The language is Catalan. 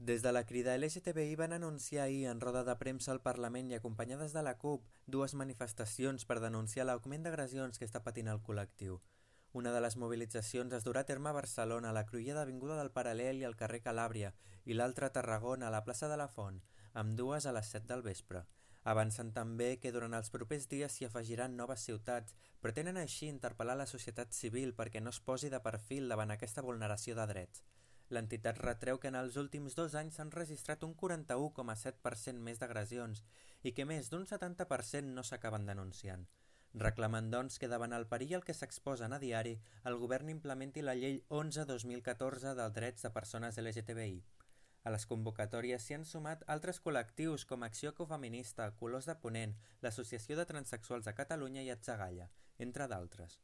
Des de la crida LGTBI van anunciar ahir en roda de premsa al Parlament i acompanyades de la CUP dues manifestacions per denunciar l'augment d'agressions que està patint el col·lectiu. Una de les mobilitzacions es durà a terme a Barcelona, a la cruïlla d'Avinguda del Paral·lel i al carrer Calàbria, i l'altra a Tarragona, a la plaça de la Font, amb dues a les 7 del vespre. Avancen també que durant els propers dies s'hi afegiran noves ciutats, pretenen així interpel·lar la societat civil perquè no es posi de perfil davant aquesta vulneració de drets. L'entitat retreu que en els últims 2 anys s'han registrat un 41,7% més d'agressions i que més d'un 70% no s'acaben denunciant. Reclamen, doncs, que davant el perill al que s'exposen a diari, el govern implementi la llei 11/2014 dels drets de persones LGTBI. A les convocatòries s'hi han sumat altres col·lectius com Acció Ecofeminista, Colors de Ponent, l'Associació de Transsexuals de Catalunya i Atzagalla, entre d'altres.